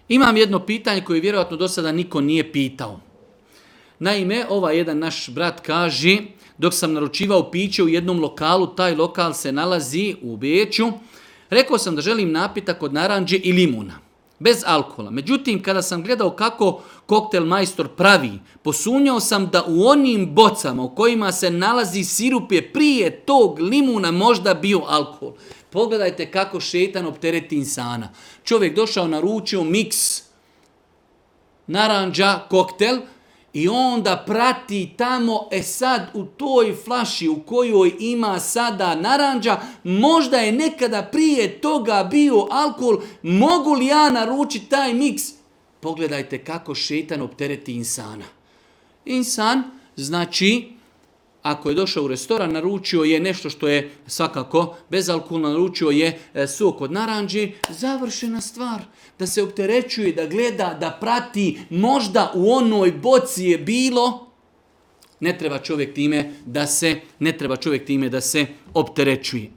Imam jedno pitanje koje vjerojatno do sada niko nije pitao. Naime, jedan naš brat kaže, dok sam naručivao piće u jednom lokalu, taj lokal se nalazi u Beču, rekao sam da želim napitak od naranđe i limuna, bez alkohola. Međutim, kada sam gledao kako koktel majstor pravi, posumnjao sam da u onim bocama u kojima se nalazi sirup je prije tog limuna možda bio alkohol. Pogledajte kako šetan optereti insana. Čovjek došao, naručio miks naranđa, koktel, i onda prati tamo, sad u toj flaši u kojoj ima sada naranđa, možda je nekada prije toga bio alkohol, mogu li ja naručiti taj miks? Pogledajte kako šetan optereti insana. Insan, znači, ako je došao u restoran, naručio je nešto što je svakako bezalkoholno, naručio je sok od naranđe, završena stvar. Da se opterećuje, da gleda, da prati, možda u onoj boci je bilo, ne treba čovjek time da se opterećuje.